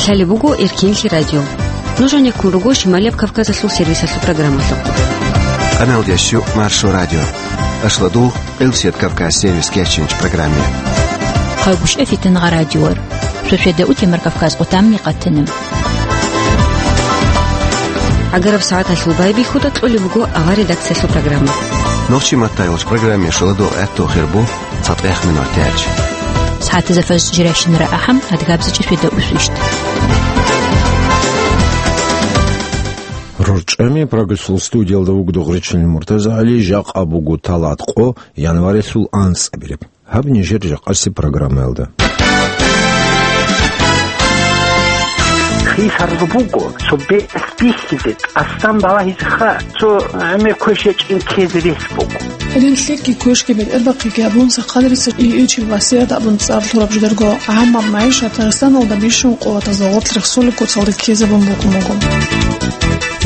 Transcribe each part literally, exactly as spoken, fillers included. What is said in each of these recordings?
Гьале буго Эркенлъи радио. Нуж гьанеккун руго Шималияб Кавказалъул сервисалъул программалъухъ. Къаналдящу Маршо радио. Ашладул, Къилсият Кавказ сервис кечинч программе. Хъагушев Фитнагъа радиор. Шошеда утемар Кавказ къутамни къатинам. Агараб сагӀаталъул байбихьуда кьолеб буго авар редакциялъул программа. Нохчи маттайолч программе шуладо гӀатту хирбу. ЦатӀех минутач. СагӀатазда фажр жирайщинара ахӀам, адгабзичӀи феда усвищт. РорчӀами прогрессул студиялда вугдо гъречил Муртаза ГӀали, жакъа буго талат къо, январилъул анцӀабиреб. Гьаб нижер жакъаси программаялда. Хисар буго, цо бес бихьизе, тӀасан балагьизеха, цо гӀемер квешечӀин ккезе рес буго. Релълъиги квешги бетӀербахъиги абун, сахъалрица иичил васият абун цӀар лъураб жидерго гӀаммаб магӀишат Дагъистаналда бищун къуватазда гъоркь рехсолеб куцалда ккезабун букӀун буго.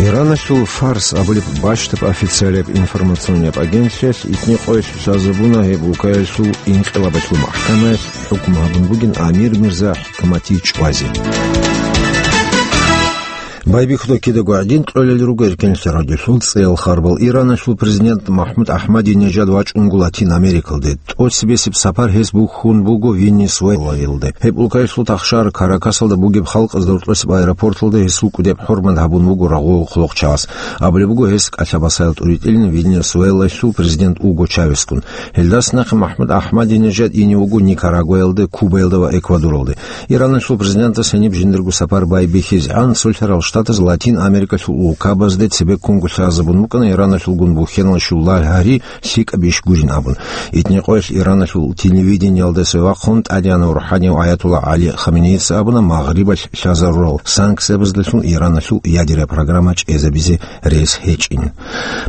Ираналъул Фарс абулеб бащдаб официалияб информационияб агентлъиялъ итни къоялъ лъазабуна гьеб улкаялъул инкъилабалъул махӀкамаялъ хӀукму гьабун бугин амир Мирза ХӀикмати чӀвазе. Байбихьуда кидаго гӀадин кьолел руго Эркенлъи радиолъул цӀеял харбал. Ираналъул президент МахӀмуд АхӀмадинежад вачӀунго Латин Америкалде. ТӀоцебесеб сапар гьес бухьун буго Венесуэлаялде. Гьеб улкаялъул тахшар Каракасалда бугеб халкъазда гьоркьосеб аэропорталда гьесул кӀудеб хӀурмат гьабун буго рагъулал хъулухъчагӀаз. Абулеб буго гьес кӀалъабасайал тӀуритӀилин Венесуэлалъул президент Уго Чавесгун. Гьелдаса нахъе МахӀмуд АхӀмадинежад ине вуго Никарагуаялде, Кубаялда ва Эквадоралде. Ираналъул президентас гьениб жиндирго сапар байбихьизегӀан, Цолъарал Штатаз Латин Америкалъул улкабазде цебеккунго лъазабун букӀана Ираналъулгун бухьеналъул лагьари лъикӀаб иш гурин абун. Итни къоялъ Ираналъул телевидениялда цевахъун ТӀадегӀанав РухӀанияв Аятулла ГӀали Хаменеица абуна Магърибалъ лъазарурал санкциябаздалъун Ираналъул ядерая программа чӀезабизе рес гьечӀин.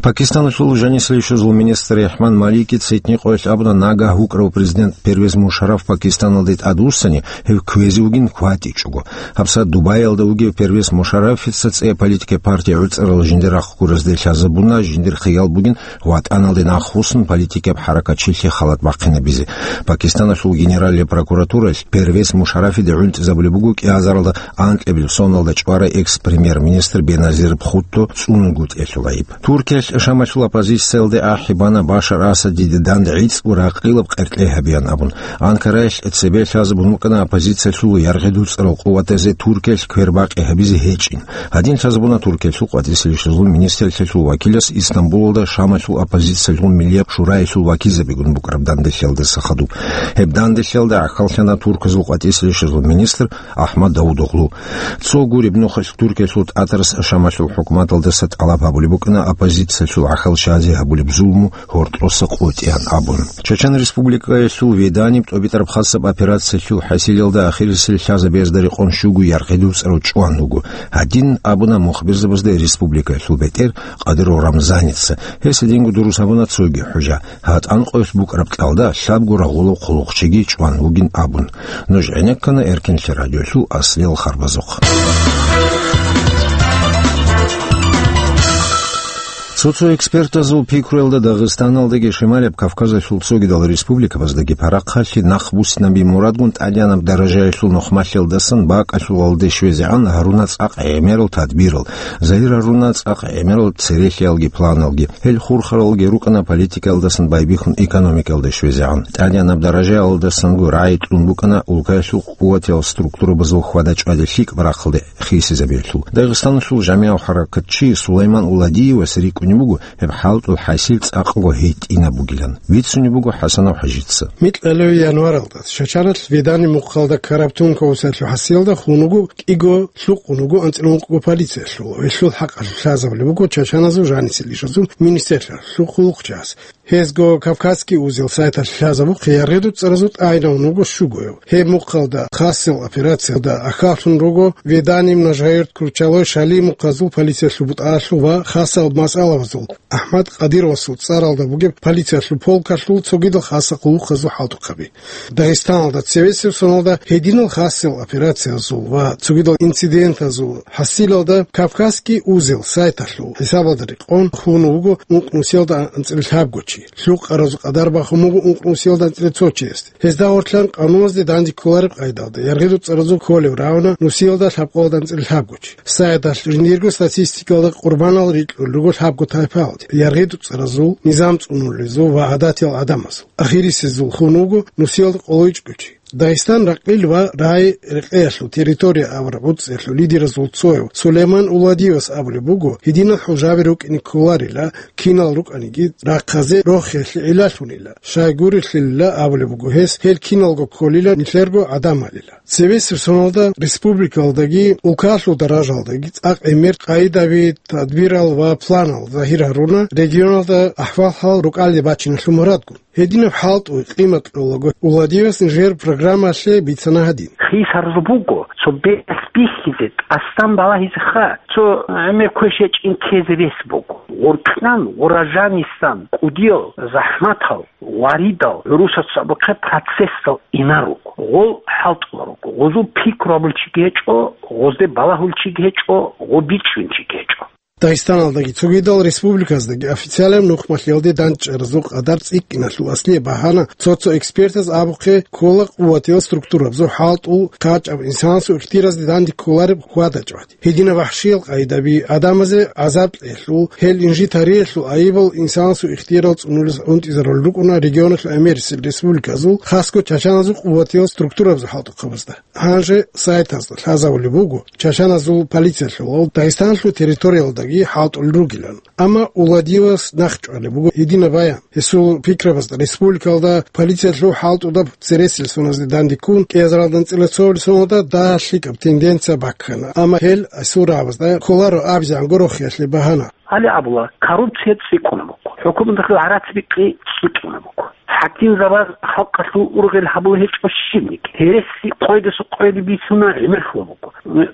Пакистаналъул жанисалъул министр РахӀман Маликица итни къоялъ абуна нагагь вукӀарав президент Первез Мушарраф Пакистаналде тӀадвуссани, гьев кквезе вугин хьватӀичӀого. ГьабсагӀат Дубаялда вугев Первез Мушаррафица цӀея политикая партия гӀуцӀарал жиндир рахъ гуразде лъазабуна, жиндир хиял бугин ВатӀаналде нахъвуссун политикияб хӀаракатчилъи халат бахъинабизе. Пакистаналъул генералияб прокуратуралъ Первез Мушаррафиде гӀунтӀизабулеб буго кӀиазаралда анкьабилеб соналда чӀварай экс-премьер-министр Беназир Бхутто цӀунун гутӀиялъул гӀайиб. Туркиялъ Шамалъул оппозициялде ахӀи бана Башар Асадиде дандгӀицӀго ракъилаб къеркьей гьабеян абун. Анкараялъ цебе лъазабун букӀана оппозициялъул яргъи дуцӀарал къуватазе Туркиялъ квербакъи гьабизе гьечӀин. Гьадин лъазабуна Туркиялъул къватӀисел ресурсазул министрлъиялъул вакилас Истамбулалда Шамалъул оппозициялъул миллияб шураялъул вакилзабигун букӀараб данделъиялдаса хадуб. Гьеб данделъиялда гӀахьаллъана Туркиязул къватӀисел ресурсазул министр Ахмад Давудоглу. Цо гуреб нухалъ Туркиялъул тӀатарас Шамалъул хӀукуматалдаса тӀалаб гьабулеб букӀана оппозициялъул гӀахьал щазе гьабулеб зулму гьоркьоса къотӀеян абун. Чачан Республикаялъул Веданиб тӀобитӀараб хасаб операциялъул хӀасилалда ахирисел лъазабиязда рекъон щуго яргъи дуцӀарав чӀван вуго. Гьадин абуна мухбирзабазда республикаялъул бетӀер Къадиров Рамзаница. Гьес гьединго дурус гьабуна цоги хӀужа. ГьатӀан къоялъ букӀараб кьалда лъабго рагъулав хъулухъчиги чӀван вугин абун. Нуж гӀенеккана Эркенлъи радиолъул аслиял харбазухъ. Цо-цо экспертазул пикруялда Дагъистаналдаги Шималияб Кавказалъул цогидал республикабаздаги парахъалъе нахъбуссинаби мурадгун тӀадегӀанаб даражаялъул нухмалъиялдасан бакӀалъулалде щвезегӀан гьаруна цӀакъ гӀемерал тадбирал, загьир гьаруна цӀакъ гӀемерал церехиялги планалги. Гьел хурхаралги рукӀана политикаялдасан байбихьун экономикаялда щвезегӀан. ТӀадегӀанаб даражаялдасанго рагӀи кьун букӀана улкаялъул къуватиял структурабазул хьвада-чӀвада лъикӀаб рахъалде хисизабиялъул. Дагъистаналъул жамигӀав хӀаракатчи Сулайман Уладиевас рикӀкӀунеб буго гьеб хӀалтӀул хӀасил цӀакъго гьитӀинаб бугилан. Бицунеб буго ХӀасанов ХӀажица. Микьалев январалда Чачаналъ Ведани мухъалда ккараб тункаусиялъул хӀасилалда хун вуго кӀиго, лъукъун вуго анцӀила ункъго полициялъул, гьелъул хӀакъалъулъ лъазабулеб буго чачаназул жанисел ишазул министрлъиялъул хъулухъчияс. Гьезго «Кавказский узел» сайталъ лъазабухъе яргъи дуцӀаразул тӀагӀинавун вуго щугояв. Гьеб мухъалда хасил операциялда ахьаллъун руго Ведани, Множгородск, Кручалой, Шали мухъазул полициялъул бутӀаялъул ва хасал масъалабазул АхӀмад Къадировасул цӀаралда бугеб полициялъул полкалъул цогидал хасал хъулухъазул хӀалтӀухъаби. Дагъистаналда цевесев соналда гьединал хасил операциязул ва цогидал инцидентазул хӀасилалда «Кавказский узел» сайталъул хӀисабалда рекъон хун вуго ункънусиялда анцӀила лъабгоч. чи. Лъукъаразул къадар бахун буго ункънусиялда анцӀила цо чиясде. Гьезда гьоркьан къануналъе данде кколареб къайдалда, яргъи дуцӀаразул кколеб рагӀуна нусиялда лъабкъоялда анцӀила лъабго чи. Сайдалъ жиндирго статистикалда къурбанал рикьулел руго лъабго тайпаялде, яргъи дуцӀаразул, низам цӀунулезул ва гӀадатиял гӀадамазул. Ахирисезул хун вуго нусиялда къоло ичӀго чи. Дагъистан ракъил ва рагӀи-рекъеялъул территория абураб гӀуцӀиялъул лидеразул цояв Сулейман Уладиевас абулеб буго, гьединал хӀужаби рукӀине кколарила, кинал рукӀаниги рахъазе рохиялъе гӀиллалъунила, щайгурелъилила абулеб буго гьес, гьел киналго кколила нилъерго гӀадамалила. Цебесеб соналда республикалдаги улкалъул даражалдаги цӀакъ гӀемер къайдаби, тадбирал ва планал загьир гьаруна регионалда ахӀвал-хӀал рукӀалде бачиналъул мурадгун. Гьединаб хӀалтӀуе къимат кьолаго Уладиевас нижер программалъе бицана гьадин. Хисар буго, цо бес бихьизе, тӀасан балагьизе ха, цо гӀемер квеш гьечӀин ккезе рес буго. Гъоркьан, гъуражанисан, кӀудиял, захӀматал, варидал, гӀурусаца абухъе процессал инар руго. Гъол хӀалтӀула руго. Гъозул пикру абулчиги гьечӀо, гъозде балагьулчиги гьечӀо, гъо бичӀчӀунчиги гьечӀо. Дагъистаналдаги цогидал республиказдаги официалаб нухмалъиялде дандчӀаразул къадар цӀикӀкӀиналъул аслияб багьана, цо-цо экспертаз абухъе, ккола къуватиял структурабазул хӀалтӀул, хъачӀаб, инсанасул ихтиразде данде кколареб хьвадачӀват. Гьединаб вахӀшиял къайдаби, гӀадамазе гӀазаб кьелъул, гьел инжит гьариялъул айибал инсанасул ихтиярал цӀунулес гӀунтӀизарулел рукӀуна регионалъул гӀемерисел республиказул, хасго чачаназул къуватиял структурабазул хӀалтӀухъабазда. Гьанже сайтазда лъазабулеб буго, чачаназул полициялъул Дагъистаналъул территориялдаги хӀалтӀулел ругилан. Амма Уладиевас нахъчӀвалеб буго гьединаб баян. Гьесул пикрабазда республикалда полициялъул хӀалтӀудаб цересел соназде дандеккун, кӀиазаралда анцӀила цоабилеб соналда дагьа лъикӀаб тенденция баккана, амма гьел гьесул рагӀабазда кколаро абизегӀан гурохиялъе багьана. Гьале абула, коррупция цӀикӀкӀунеб буго. ХӀукуматалъул гӀарац-бикъи цӀикӀкӀунеб буго. ХӀакимзабаз халкъалъул ургъел гьабулеб гьечӀо щибниги. Гьереси къойдаса къойде бицуна, гӀемерлъула буго.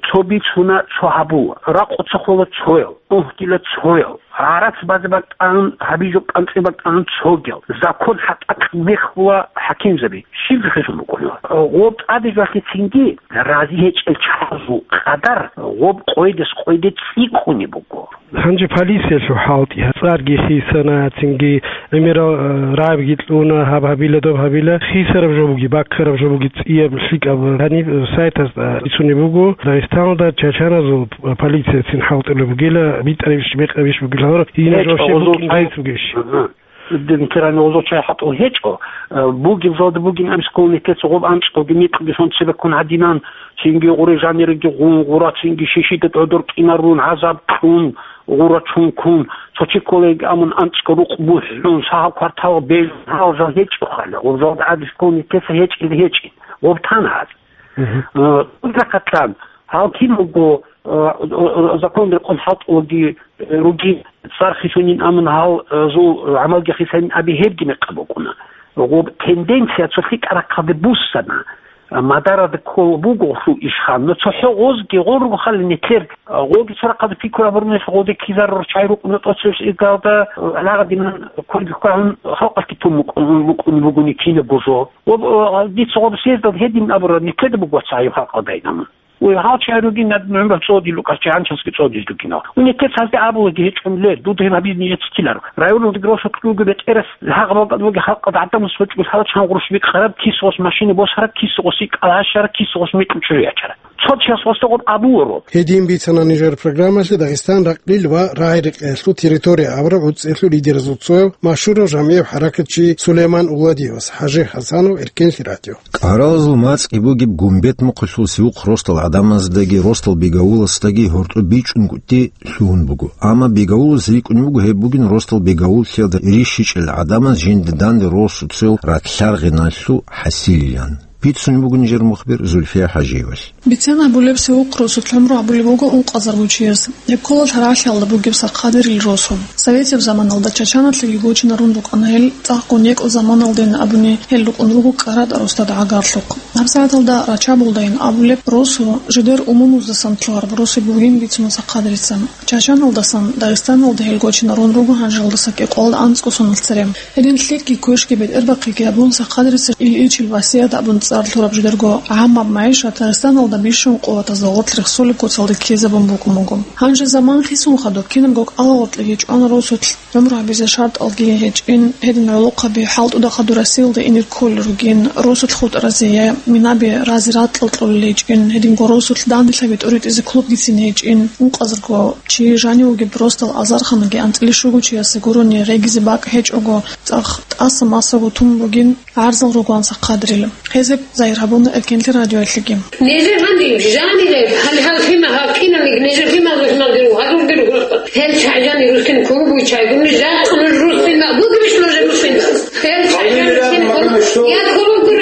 Цо бицуна, цо гьабула. Ракъуца хола цоял, угьдила цоял. ГӀарац базе бакӀан, гьабизе кӀанцӀи бакӀан цогиял. Закон хӀатӀакь мехула хӀакимзаби. Щиб жо хӀежун букӀунела? Гъоб тӀаде жалъецинги рази гьечӀел чагӀазул къадар гъоб къойдас къойде цӀикӀкӀунеб буго. Гьанже полициялъул хӀалтӀи, цӀарги хисана, цинги гӀемерал, э, рагӀабги кьуна, гьаб гьабила, доб гьабила, хисараб жо буги, баккараб жо буги цӀияб лъикӀаб гьаниб, э, сайтазда бицунеб буго, Дагъистаналда чачаназул полицияцин хӀалтӀулеб бугила, битӀарабищ, бекьарабищ бугила гьораб, гьединаб жо щиб букӀин гьечӀо, гьечӀо. Дин кирани гъозул чай хӀатӀул гьечӀо. Э, бугеб залда бугин амскул нилъеца гъоб анцӀкӀалги микьги сон цебеккун гьадинан, цинги гъуре жаниреги гъун, гъура цинги шишида тӀодор кӀинарун, гӀазаб кьун, гъура чункун, цо чи кколеги амун анцӀкӀал рукъ бухӀун, сагьал квартал бежун, гьал жал гьечӀо хъала, гъоб залда гӀадискул нилъеца гьечӀел гьечӀин, гъоб тана гьаз. Мгм. Э, узахъатлъан, гьал кин буго, э, э, закон рекъон хӀалтӀулаги, э, ругин, цӀар хисунин амун гьал, э, зул, э, гӀамалги хисанин аби гьебги мекъаб букӀуна. Гъоб тенденция цо лъикӀа рахъалде буссана, э, мадарада ккол буго гъолъул ишхъан, но цохӀо гъозги гъол руго хъали нилъер, э, гъолги цо рахъалде пикру абурунелъ гъолде ккизарурал чагӀи рукӀуна тӀоцебесеб иргалда, э, гьалагъадинан кванги кквагьун халкъалъги тун букӀун, букӀун бугони кинабго жо. Ва, э, дица гъоб съездал гьедин абура, нилъеда буго цо гьайиб халкъалдайин амун. Ой, гьал чай ругин, над гӀумру цӀодил рукӀа, чагӀанчасги цӀодил ругинал. Унитет гьазде абулаги гьечӀун ле, дуда гьеб гьабизни гьецӀиларо. Районал дигросо кьуги бетӀерас, гьагъабалда абулаги халкъалда гӀадамас вачӀун лъала чан гъурущ бикъараб, кисгъос машина босараб, кисгъос икӀал гьащараб, кисгъос микьу чӀужу ячараб. Цо чияс гъосда гъоб абуларо. Гьедин бицана нижер программалъе Дагъистан ракъил ва рагӀи-рекъеялъул территория абураб гӀуцӀиялъул лидеразул цояв машгьурав жамгӀияв хӀаракатчи Сулейман Уладиевас. ХӀажи ХӀасанов, Эркенлъи радио. КӀаралазул мацӀги бугеб Гумбет мухъалъул Севухъ росдал гӀадамаздаги росдал Бегавуласдаги гьоркьоб бичӀчӀун кӀутӀи лъугьун буго. Амма Бегавулас рикӀкӀунеб буго гьеб бугин росдал Бегавуллъиялда рищичӀел гӀадамаз жинда данде росуцел ракълъаргъиналъул хӀасилилан. Бицунеб буго нижер мухбир Зульфия ХӀажиевалъ. Бицен абулеб, Севухъ росулъ гӀумру гьабулеб буго ункъазарго чияс. Гьеб ккола Лъарагьлъиялда бугеб Сахъадерил росу. Советияб заманалда чачаналъеги гочинарун рукӀана гьел, цӀакъго некӀо заманалдейин абуни гьел рукӀун руго КӀаратӀа росдада гӀагарлъухъ. ГьабсагӀаталда рачабулдайин абулеб росу жидер умумуздасан лъугьараб росу бугин бицун сахъадрица. Чачаналдасан Дагъистаналда гьел гочинарун руго гьанжалдаса кӀикъоялда анцӀго соналъ цере. Гьедин лъикӀги квешги бетӀербахъиги абун, сахъадрица Ильичил васият абун цӀар лъураб жидерго гӀаммаб магӀишат Дагъистаналда бищун къуватазда гъоркь рехсолеб куцалда ккезабун букӀун буго. Гьанже заман хисун хадуб кинабго кӀалагъоркьеги чӀвана росулъ. ГӀумру гьабизе шартӀалги гьечӀин, гьедин гӀолохъаби хӀалтӀуда хадур Россиялда ине кколел ругин, росулъ хутӀаразе я минаби разе ракьал кьолел гьечӀин, гьединго росулъ данделъаби тӀуритӀизе клубгицин гьечӀин, ункъазарго чи жанив вугеб росдал азарханаги анцӀила щуго чиясе гурони гъегизе бакӀ гьечӀого, цӀакъ тӀаса-масаго тун бугин гӀарзал ругоан сахъадрила. Гьезеб зайир гьабуна Эркенлъи радиоялъеги. Нижер гьанже жанире, гьале гьал лъимал гьаб киналги нижер лъимал рухӀмалги руго, гьадурги руго. Гьел чагӀжани русин кулугу чайгуни жакъа нуж русин бугебищ нужер русин? Гьел чагӀжани русин кулугу я кулугу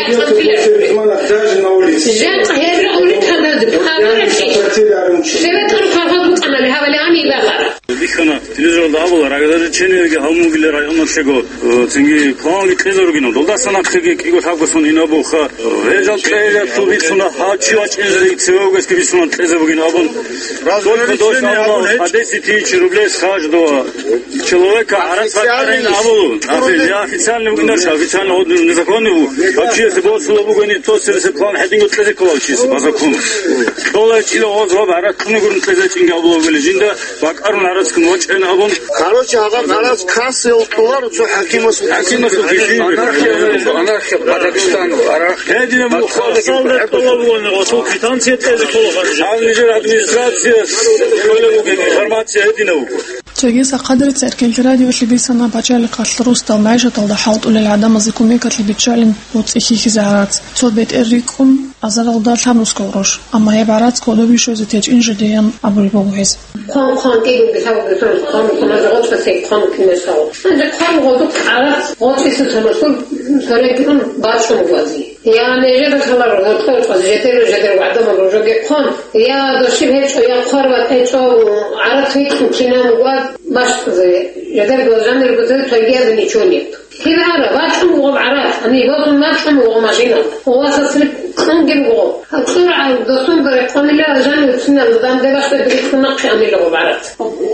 я цӀанцӀила. Жакъа гьел улитаназе пагара чи. Советлар кагъа букӀанали гьавали ани багара. Бихьана, телевизоралда абула, разоблачениеги гьабун бугила районалъего, э, цинги планги кьезе ругинав. Долдаса нахъеги кӀиго лъабго сон ин абулха, э, гьел жал кьезе ту бицуна, гьав чи вачӀинзе цевевгесги бицуна кьезе бугин абун. Только дождь абула, по десять тысяч рублей с каждого человека гӀарац бакӀарин абулу. Официальный бугин, официально, вот, незаконный бу. Вообще, если бы отсюда бугони, то, если план хӀединго кьезе кколал чиси, по закону. Долай чила оз гъаб гӀарац кьуна гурун кьезе чӀинги абула бугили, жинда бакӀарун гӀарацгун вачӀайин абун. Короче, гьаб гӀарац касел тулар цо хӀакимас. ХӀакимас бихьи. Анархия, анархия по Дагестану, анархия. Гьединаб мухъалда квитанция кьезе ккола. Гьанже администрация кколеб бугеб информация гьединаб буго. Цоги сахъадрица Эркенлъи радиоялъе бицана пачалихъалъ росдал магӀишаталда хӀалтӀулел гӀадамазе кумекалъе биччалин боцӀи хьихьизе гӀарац. Цо бетӀер рикӀкӀун, азаралда лъабнусго гъош, амма гьеб гӀарац кодобе щвезе течӀин жидеян абулеб буго гьез. Хъван-хъван кӀиго бисаб бисун хъван-хъван гъоцӀа цей хъван кинесал. Гьанже хъван гъодухъ гӀарац гъоцӀиса тамашун сорегун бачун гъвази. Я нижеда халар гъоцӀа гъоцӀа жедер жедер вагӀда магӀужоги хъван. Я дошиб гьечӀо, я хъвар ватӀечӀо, гӀарац гьечӀо кинан гъваз башкъазе. Жедер гъваз жанир гъвазе тайгиязе ничего нет. Кин ара, вачӀун вугъаб гӀарац, ани вазун вачӀун вугъаб машина. Ва сасри кьунгин вугъаб. АцӀургӀал досун баре къванила жан уцинал данде башда бирихъ нахъе анила гъаб гӀарац.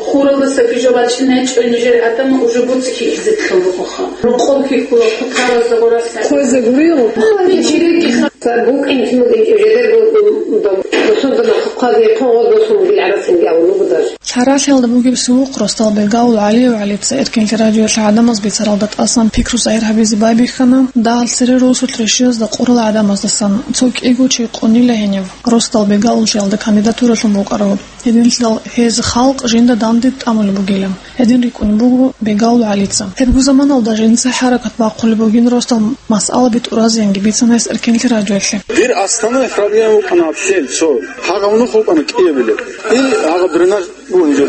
Хуралдаса бижа вачӀин гьечӀо нижер гӀадамал уже буцӀи хьихьизе ккелгӀуха. Рукъоб хьихьула хъутаразда гъураса. Хъузе гуригъу. Ани чирики ха. Сар букӀин кимугин жедер бу-, бу-, бу-, досун дана хъухъазе хъугъа досун гил гӀарацинги авулугу даже. Лъаралъиялда бугеб севухъ росдал Бегавул ГӀалиев ГӀалица Эркенлъи радиоялъ гӀадамаз бицаралда тӀасан пикру загьир гьабизе байбихьана, дагьал цере росулъ рещиязда къурал гӀадамаздасан, цо кӀиго чи къунила гьенив, росдал Бегавуллъиялда кандидатуралъун букӀарав. Гьединлъидал гьез халкъ жинда данде тӀамулеб бугила. Гьедин рикӀкӀунеб буго Бегавул ГӀалица. Гьебго заманалда жинца хӀаракат бахъулеб бугин росдал масъалаби тӀуразеянги бицана гьес Эркенлъи радиоялъе. Дир основной проблема букӀана вообще цо. Гьагъав нух вукӀана кӀиябилеб. И гьагъа дренаж бугун жо.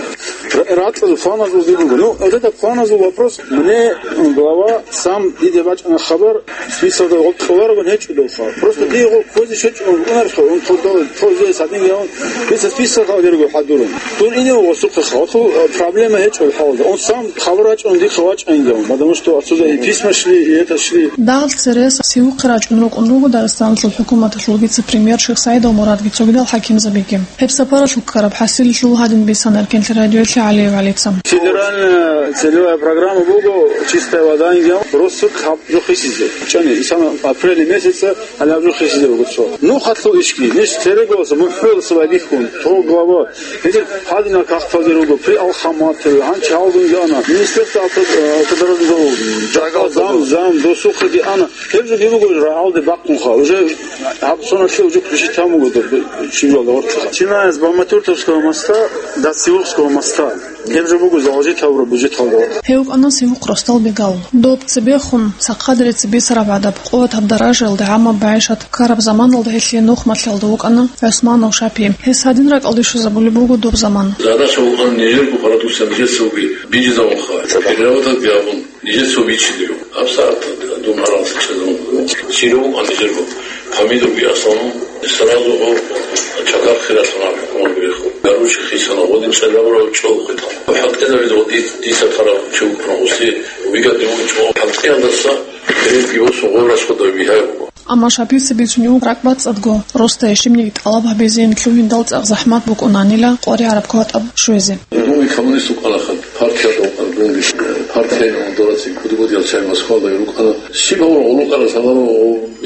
Ра-, ракьазул, планазул дир буго. Ну, вот это планазул вопрос. Мне глава сам диде бачӀана хабар, списокда гъоркь кьоларогун гьечӀо долха. Просто дие гъо ккозе щвечӀо, унарха, он подал, то здесь один я он. Дица список гьал дирго хӀадурун. Дур ине гъосухъеха. Вот, э, проблема гьечӀо хӀалда. Он сам хабар бачӀун дихъа вачӀайин я он. Потому что отсюда и письма шли, и это шли. Дагьал церес севухъе рачӀун рукӀун руго Дагъистаналъул хӀукуматалъул вице-премьер Шихсаидов Мурадги цогидал хӀакимзабиги. Гьеб сапаралъул ккараб хӀасилалъул гьадин бицана Эркенлъи радиоялъе ГӀалиев ГӀалица. Федеральная целевая программа буго «Чистая вода» инги, росу хаб жо хисизе. ЧӀани, исана апрель месяца гьалаб жо хисизе буго цо. Ну, хатлу ишки, неш церегоса, мухӀрулса вагихун, то глава. Гьедин гьадинал кахталги руго, при Алхаматове, гьанчи гьалгун яна. Министерство авто-, э, автодорожного, жагал зам, зам, досухъеги ана. Гьеб жо гьеб буго рагӀалде бахъунха. Уже гьаб соналъе уже включить гьабун буго доб-, щибалда гъоркьха. Начиная с Баматюртовского моста до Сиухского моста. Гьеб жо буго заложить гьабураб бюджеталда. Гьев вукӀана Сиухъ росдал Бегал. Доб цебехун, сахъадерица бицараб гӀадаб, къуватаб даражаялда гӀаммаб магӀишат ккараб заманалда гьелъие нухмалъиялда вукӀана ГӀусманов Шапи. Гьес гьадин ракӀалде щвезабулеб буго доб заман. Задача вукӀана нижерго продукция нижецаги бижизавунха. Переработать гьабун. Нижеца бичидиро. ГьабсагӀат дун гьарамса чӀезабун. Сиро вукӀан нижерго. Помидорги аслану, сразу гьо чакар хиралъун гьаб хӀукумат бирехъо. Гаручи хисана, гъодин цӀалабурав чӀол хъитан. ХӀалтӀизабизе гъоди дица тараб чи вукӀун гъуси, вигадин вукӀун. ХӀалтӀиялдаса перед его сугъо расходов бигьай буго. Амма Шапивца бицунев ракӀбацӀцӀадго росдае щибниги тӀалаб гьабизейин лъугьиндал цӀакъ захӀмат букӀунанила къваригӀараб кватӀаб щвезе. Дуни коммунист вукӀанаха, партиялда вукӀана дунги. Партияйин дорацин куди-буди чай Москвалда рукӀана. Щиб гьавураб гъулукъарас гьаларо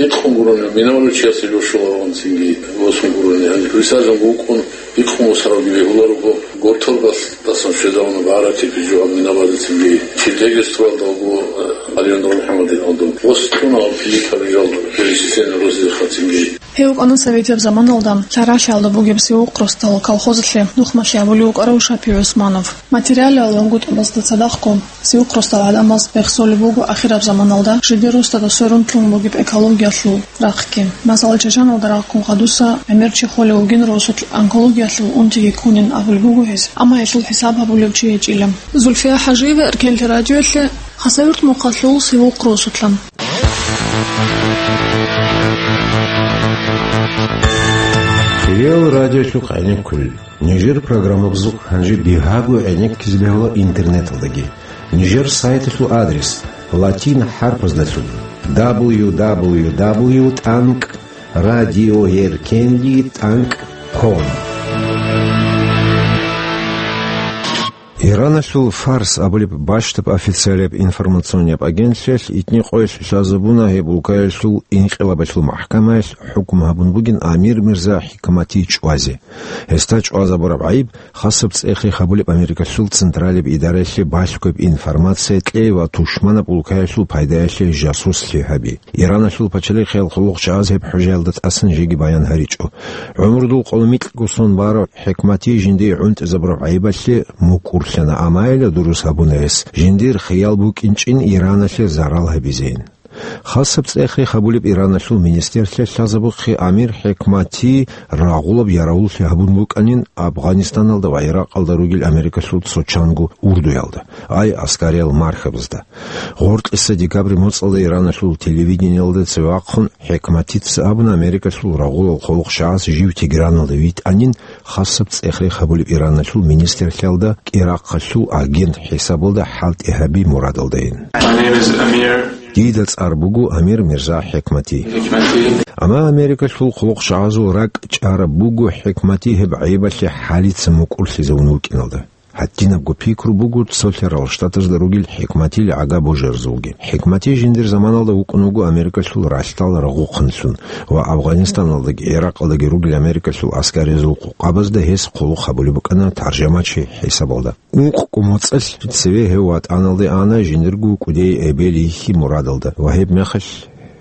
икъун гурони, минаваличиясе жо щолароан цинги восун гурони, гьаниб присяжан вукӀун, икъун восаравги бегьуларо, гортор бас-, дасан щвезавуна багӀараб тепи жо гьаб минабазецинги. Чирдегес туралда вуго, э, Алиандр МухӀаммадин Алдун. Восун аб Филиппа бижал пересечение росизе хацинги. Гьев вукӀана советияб заманалда лъаралъиялда бугеб Севухъ росдал колхозалъе нухмалъи гьабулев вукӀарав Шапи ГӀусманов. Материалалъул гутӀубазда цадахъго, Севухъ росдал гӀадамаз рехсолеб буго ахираб заманалда жидер росдада сверун лъун бугеб экологиялъул рахъги. Масала, Чачаналда рахъун гъадуса гӀемер чи холев вугин росулъ онкологиялъул унтиги ккунин абулеб буго гьес, амма гьелъул хӀисаб гьабулев чи гьечӀила. Зульфия ХӀажиева, Эркенлъи радиоялъе, Хасавюрт мухъалъул Севухъ росулъан. Хириял радиолъухъ гӀенеккулел. Нижер программабазухъ гьанже бигьаго гӀенеккизе бегьула интернеталдаги. Нижер сайталъул адрес латин хӀарпаздалъун: дабл ю дабл ю дабл ю тӀанкӀ радиоеркенлъи тӀанкӀ ком. Ираналъул Фарс абулеб бащдаб официалияб информационияб агентлъиялъ итни къоялъ лъазабуна гьеб улкаялъул инкъилабалъул махӀкамаялъ хӀукму гьабун бугин Амир Мирза ХӀикмати чӀвазе. Гьесда чӀвазабураб гӀайиб хасаб цӀехе гьабулеб Америкалъул Централияб идараялъе балъгояб информация кьей ва тушманаб улкаялъул пайдаялъе жасуслъи гьаби. Ираналъул пачалихъиял хъулухъчагӀаз гьеб хӀужаялда тӀасан жеги баян гьаричӀо. ГӀумрудул къоло микьго сон барав ХӀикмати жиндие гӀунтӀизабураб гӀайибалъе мукӀурлъана, амайила дурус гьабуна гьес, жиндир хиял букӀинчӀин Ираналъе зарал гьабизейин. Хасаб цӀехе гьабулеб Ираналъул министрлъиялъ лъазабухъе Амир ХӀикмати рагъулаб яравуллъи гьабун букӀанин Афганистаналда ва Иракъалда ругел Америкалъул цо чанго урдуялда, ай аскариял мархабазда. Гъоркьиса декабрь моцӀалда Ираналъул телевидениялда цеве вахъун ХӀикматица абуна Америкалъул рагъулал хъулухъчагӀаз жив Тегераналда витӀанин хасаб цӀехе гьабулеб Ираналъул министрлъиялда кӀирахъалъул агент хӀисабалда хӀалтӀи гьаби мурадалдайин. My name is Amir. Дида цӀар буго Амир Мирза ХӀикмати. Хикмати. Амма Америкалъул хъулухъчагӀазул ракӀ чӀараб буго ХӀикмати гьеб гӀайибалъе хӀалица мукӀурлъизавун вукӀиналда. Гьадинабго пикру буго Цолъарал Штатазда ругел ХӀикматил гӀага божаразулги. ХӀикмати жиндир заманалда вукӀун вуго Америкалъул ралъдал рагъухъанлъун ва Афганистаналдаги Иракъалдаги ругел Америкалъул аскаризул къукъабазда гьес хъулухъ гьабулеб букӀана таржамачи хӀисабалда. Ункъго моцӀалъ цеве гьев ватӀаналде ана жиндирго кӀудияй эбел йихьи мурадалда ва гьеб мехалъ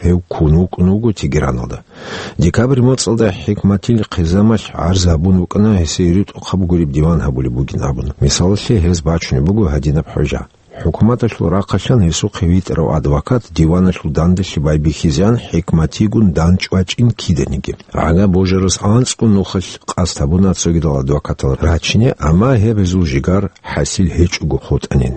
гьев ккун вукӀун вуго Тегераналда. Декабрь моцӀалда ХӀикматил хъизамалъ гӀарз гьабун букӀана гьесие ритӀухъаб гуреб диван гьабулеб бугин абун. Мисалалъе, гьез бачунеб буго гьадинаб хӀужа. ХӀукуматалъул рахъалъан гьесухъе витӀарав адвокат диваналъул дандалъи байбихьизеан ХӀикматигун дандчӀвачӀин киданиги. ГӀага божарас анцӀго нухалъ къасд гьабуна цогидал адвокатал рачине, амма гьеб гьезул жигар хӀасил гьечӀого хутӀанин.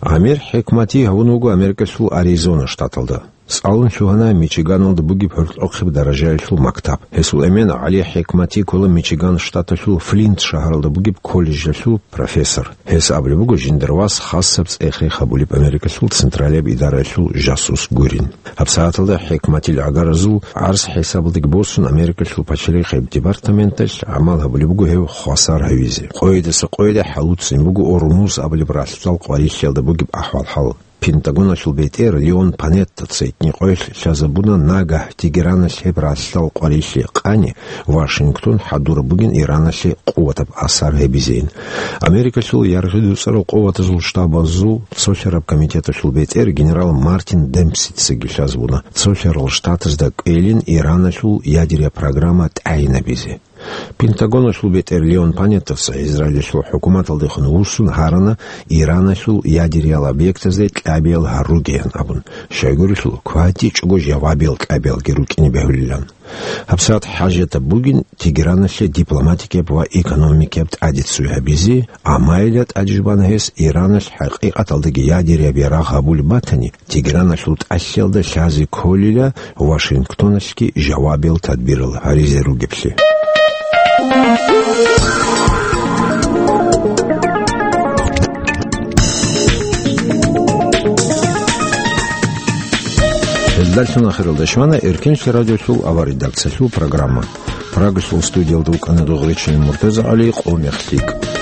Амир ХӀикмати гьавун вуго Америкалъул Аризона штаталда. ЦӀалун лъугьана Мичиганалда бугеб гьоркьохъеб даражаялъул мактаб. Гьесул эмен ГӀали ХӀикмати ккола Мичиган штаталъул Флинт шагьаралда бугеб колледжалъул профессор. Гьес абулеб буго жиндир вас хасаб цӀехе гьабулеб Америкалъул Централияб идараялъул жасус гурин. ГьабсагӀаталда ХӀикматил гӀагаразул гӀарз хӀисабалдаги босун, Америкалъул пачалихъияб департаменталъ гӀамал гьабулеб буго гьев хвасар гьавизе. Къойидаса къойида хӀалуцин буго Ормуз абулеб ралъдал къварилъиялда бугеб ахӀвал-хӀал. Пентагоналъул бетӀер Леон Панеттаца итни къоялъ лъазабуна нагагь Тегераналъ гьеб ралъдал къварилъи къани, Вашингтон хӀадураб бугин Ираналъе къуватаб асар гьабизейин. Америкалъул яргъи дуцӀарал къуватазул штабазул цолъараб комитеталъул бетӀер генерал Мартин Демпсицаги лъазабуна цолъарал штатазда кӀвелин Ираналъул ядерия программа тӀагӀинабизе. Пентагоналъул бетӀер Леон Панеттаца Израилалъул хӀукуматалдехун вуссун гьарана Ираналъул ядериял объектазде кьабиял гьаругеян абун, щайгурелъул кватӀичӀого жавабиял кьабиялги рукӀине бегьулилан. ГьабсагӀат хӀажатаб бугин Тегераналъе дипломатикияб ва экономикияб тӀаде ццуй гьабизе, амайила тӀадежбана гьес Ираналъ хӀакъикъаталдаги ядерияб ярагъ гьабулеб батани, Тегераналъул тӀалъиялда лъазе кколила Вашингтоналъги жавабиял тадбирал гьаризе ругеблъи. Даллъун ахиралда щвана Эркенлъи радиолъул аварредакциялъул программа. Прагалъул студиялда вукӀана Дугъричин МуртазагӀали. Къо мех лъикӀ.